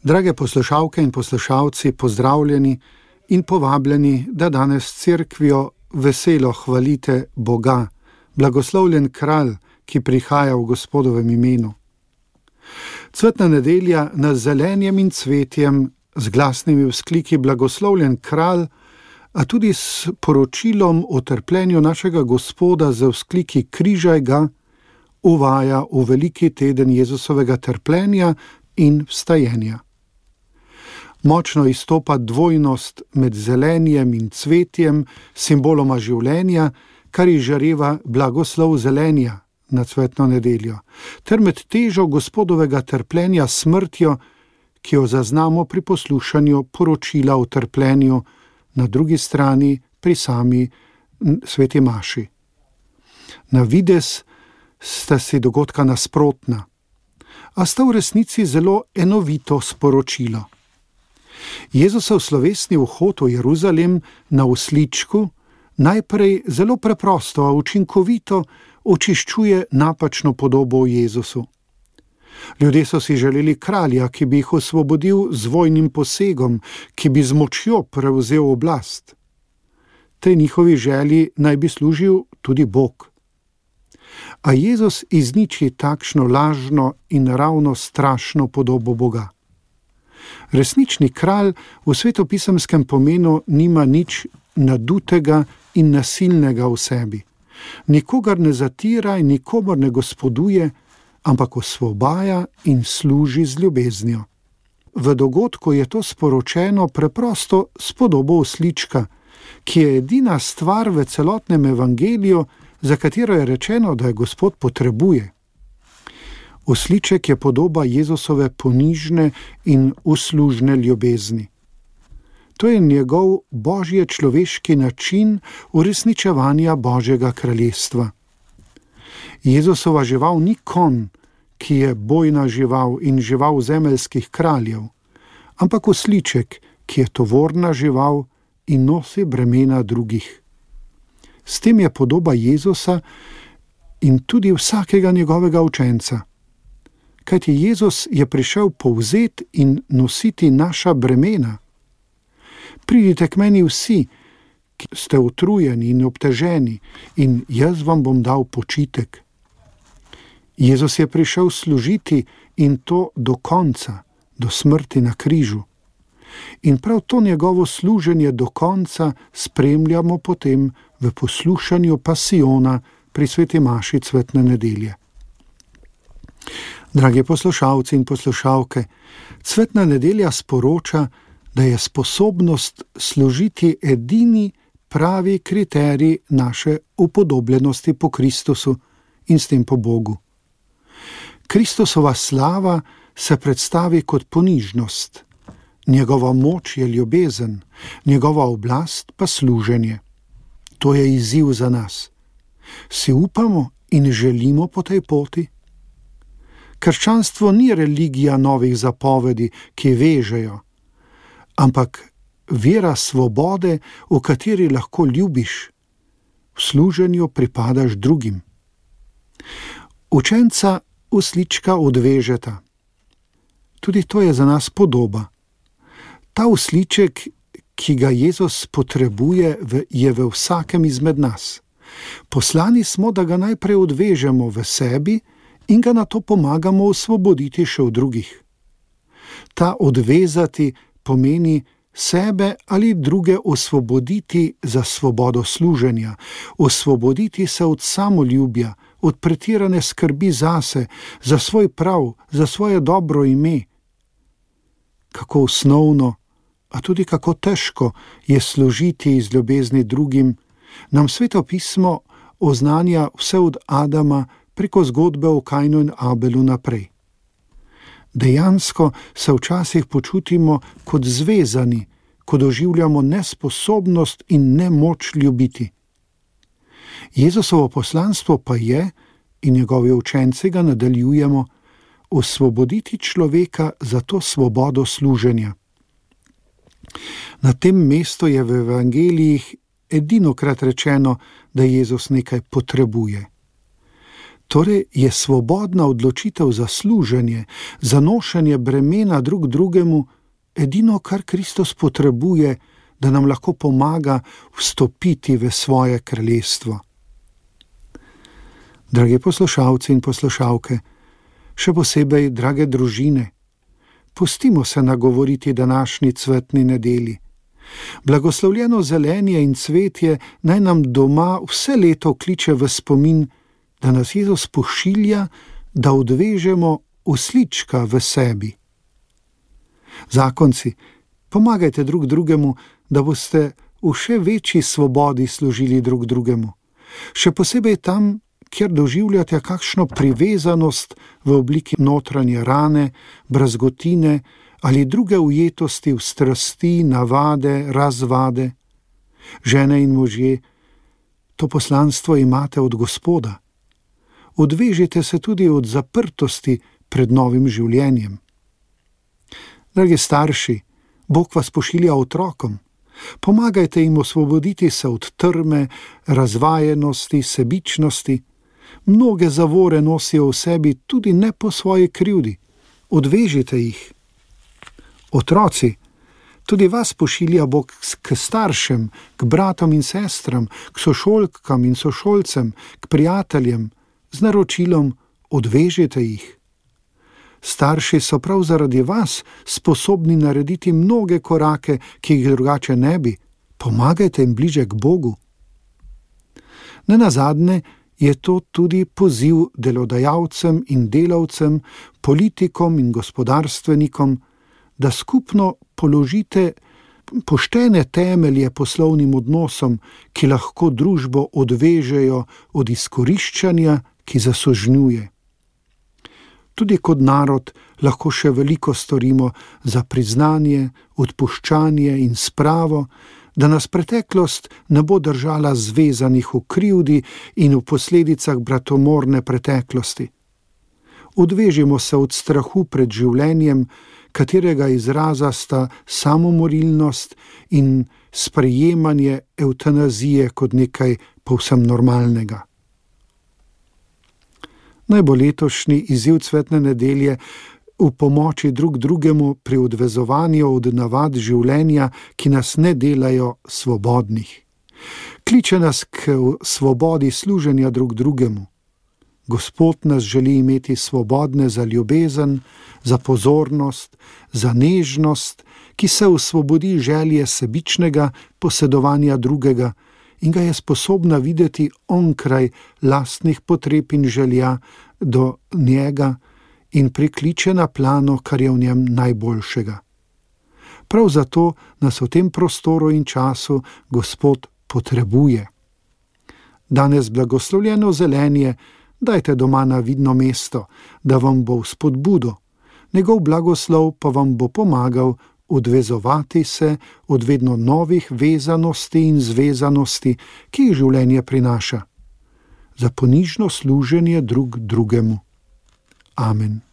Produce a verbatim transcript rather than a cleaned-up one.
Drage poslušalke in poslušalci, pozdravljeni in povabljeni, da danes s cerkvijo veselo hvalite Boga, blagoslovljen kralj, ki prihaja v Gospodovem imenu. Cvetna nedelja nas z zelenjem in cvetjem, z glasnimi vzkliki blagoslovljen kralj, a tudi s poročilom o trpljenju našega Gospoda z vzkliki križaj ga, uvaja v veliki teden Jezusovega trpljenja in vstajenja. Močno izstopa dvojnost med zelenjem in cvetjem, simboloma življenja, kar izžareva blagoslov zelenja na cvetno nedeljo, ter med težo Gospodovega trpljenja smrtjo, ki jo zaznamo pri poslušanju poročila o trpljenju, na drugi strani pri sami sveti maši. Na videz sta si dogodka nasprotna, a sta v resnici zelo enovito sporočilo. Jezusov slovesni vhod v Jeruzalem na osličku najprej zelo preprosto, a učinkovito očiščuje napačno podobo o Jezusu. Ljudje so si želeli kralja, ki bi jih osvobodil z vojnim posegom, ki bi z močjo prevzel oblast. Tej njihovi želji naj bi služil tudi Bog. A Jezus izniči takšno lažno in ravno strašno podobo Boga. Resnični kralj v svetopisemskem pomenu nima nič nadutega in nasilnega v sebi. Nikogar ne zatira in nikomor ne gospoduje, ampak osvobaja in služi z ljubeznijo. V dogodku je to sporočeno preprosto s podobo oslička, ki je edina stvar v celotnem evangeliju, za katero je rečeno, da je Gospod potrebuje. Osliček je podoba Jezusove ponižne in uslužne ljubezni. To je njegov božje človeški način uresničevanja Božjega kraljestva. Jezusova žival ni konj, ki je bojna žival in žival zemeljskih kraljev, ampak osliček, ki je tovorna žival in nosi bremena drugih. S tem je podoba Jezusa in tudi vsakega njegovega učenca. Kajti Jezus je prišel povzeti in nositi naša bremena. Pridite k meni vsi, ki ste utrujeni in obteženi, in jaz vam bom dal počitek. Jezus je prišel služiti in to do konca, do smrti na križu. In prav to njegovo služenje do konca spremljamo potem v poslušanju pasijona pri sveti maši cvetne nedelje. Dragi poslušalci in poslušalke, cvetna nedelja sporoča, da je sposobnost služiti edini pravi kriterij naše upodobljenosti po Kristusu in s tem po Bogu. Kristusova slava se predstavi kot ponižnost, njegova moč je ljubezen, njegova oblast pa služenje. To je izziv za nas. Si upamo in želimo po tej poti? Krščanstvo ni religija novih zapovedi, ki vežejo, ampak vera svobode, v kateri lahko ljubiš, v služenju pripadaš drugim. Učenca oslička odvežeta. Tudi to je za nas podoba. Ta osliček, ki ga Jezus potrebuje, je v vsakem izmed nas. Poslani smo, da ga najprej odvežemo v sebi in ga nato pomagamo osvoboditi še v drugih. Ta odvezati pomeni sebe ali druge osvoboditi za svobodo služenja, osvoboditi se od samoljubja, od pretirane skrbi zase, za svoj prav, za svoje dobro ime. Kako osnovno, a tudi kako težko je služiti iz ljubezni drugim, nam Sveto pismo oznanja vse od Adama preko zgodbe o Kainu in Abelu naprej. Dejansko se včasih počutimo kot zvezani, ko doživljamo nesposobnost in nemoč ljubiti. Jezusovo poslanstvo pa je, in njegovi učenci ga nadaljujemo, osvoboditi človeka za to svobodo služenja. Na tem mestu je v evangelijih edinokrat rečeno, da Jezus nekaj potrebuje. Torej je svobodna odločitev za služenje, za nošenje bremena drug drugemu edino, kar Kristus potrebuje, da nam lahko pomaga vstopiti v svoje kraljestvo. Dragi poslušalci in poslušalke, še posebej drage družine, pustimo se nagovoriti današnji cvetni nedelji. Blagoslovljeno zelenje in cvetje naj nam doma vse leto kliče v spomin, da nas Jezus pošilja, da odvežemo oslička v sebi. Zakonci, pomagajte drug drugemu, da boste v še večji svobodi služili drug drugemu. Še posebej tam, kjer doživljate kakšno privezanost v obliki notranje rane, brazgotine ali druge ujetosti v strasti, navade, razvade. Žene in možje, to poslanstvo imate od Gospoda. Odvežite se tudi od zaprtosti pred novim življenjem. Dragi starši, Bog vas pošilja otrokom. Pomagajte jim osvoboditi se od trme, razvajenosti, sebičnosti. Mnoge zavore nosijo v sebi tudi ne po svoji krivdi. Odvežite jih. Otroci, tudi vas pošilja Bog k staršem, k bratom in sestram, k sošolkam in sošolcem, k prijateljem, z naročilom odvežite jih. Starši so prav zaradi vas sposobni narediti mnoge korake, ki jih drugače ne bi. Pomagajte jim bliže k Bogu. Nenazadnje je to tudi poziv delodajalcem in delavcem, politikom in gospodarstvenikom, da skupno položite poštene temelje poslovnim odnosom, ki lahko družbo odvežejo od izkoriščanja, ki zasožnjuje. Tudi kot narod lahko še veliko storimo za priznanje, odpuščanje in spravo, da nas preteklost ne bo držala zvezanih v krivdi in v posledicah bratomorne preteklosti. Odvežimo se od strahu pred življenjem, katerega izraza sta samomorilnost in sprejemanje evtanazije kot nekaj povsem normalnega. Naj bo letošnji izziv cvetne nedelje v pomoči drug drugemu pri odvezovanju od navad življenja, ki nas ne delajo svobodnih. Kliče nas k svobodi služenja drug drugemu. Gospod nas želi imeti svobodne za ljubezen, za pozornost, za nežnost, ki se osvobodi želje sebičnega posedovanja drugega in ga je sposobna videti onkraj lastnih potreb in želja do njega in prikliče na plano, kar je v njem najboljšega. Prav zato nas v tem prostoru in času Gospod potrebuje. Danes blagoslovljeno zelenje dajte doma na vidno mesto, da vam bo v spodbudo. Njegov blagoslov pa vam bo pomagal odvezovati se od vedno novih vezanosti in zvezanosti, ki jih življenje prinaša. Za ponižno služenje drug drugemu. Amen.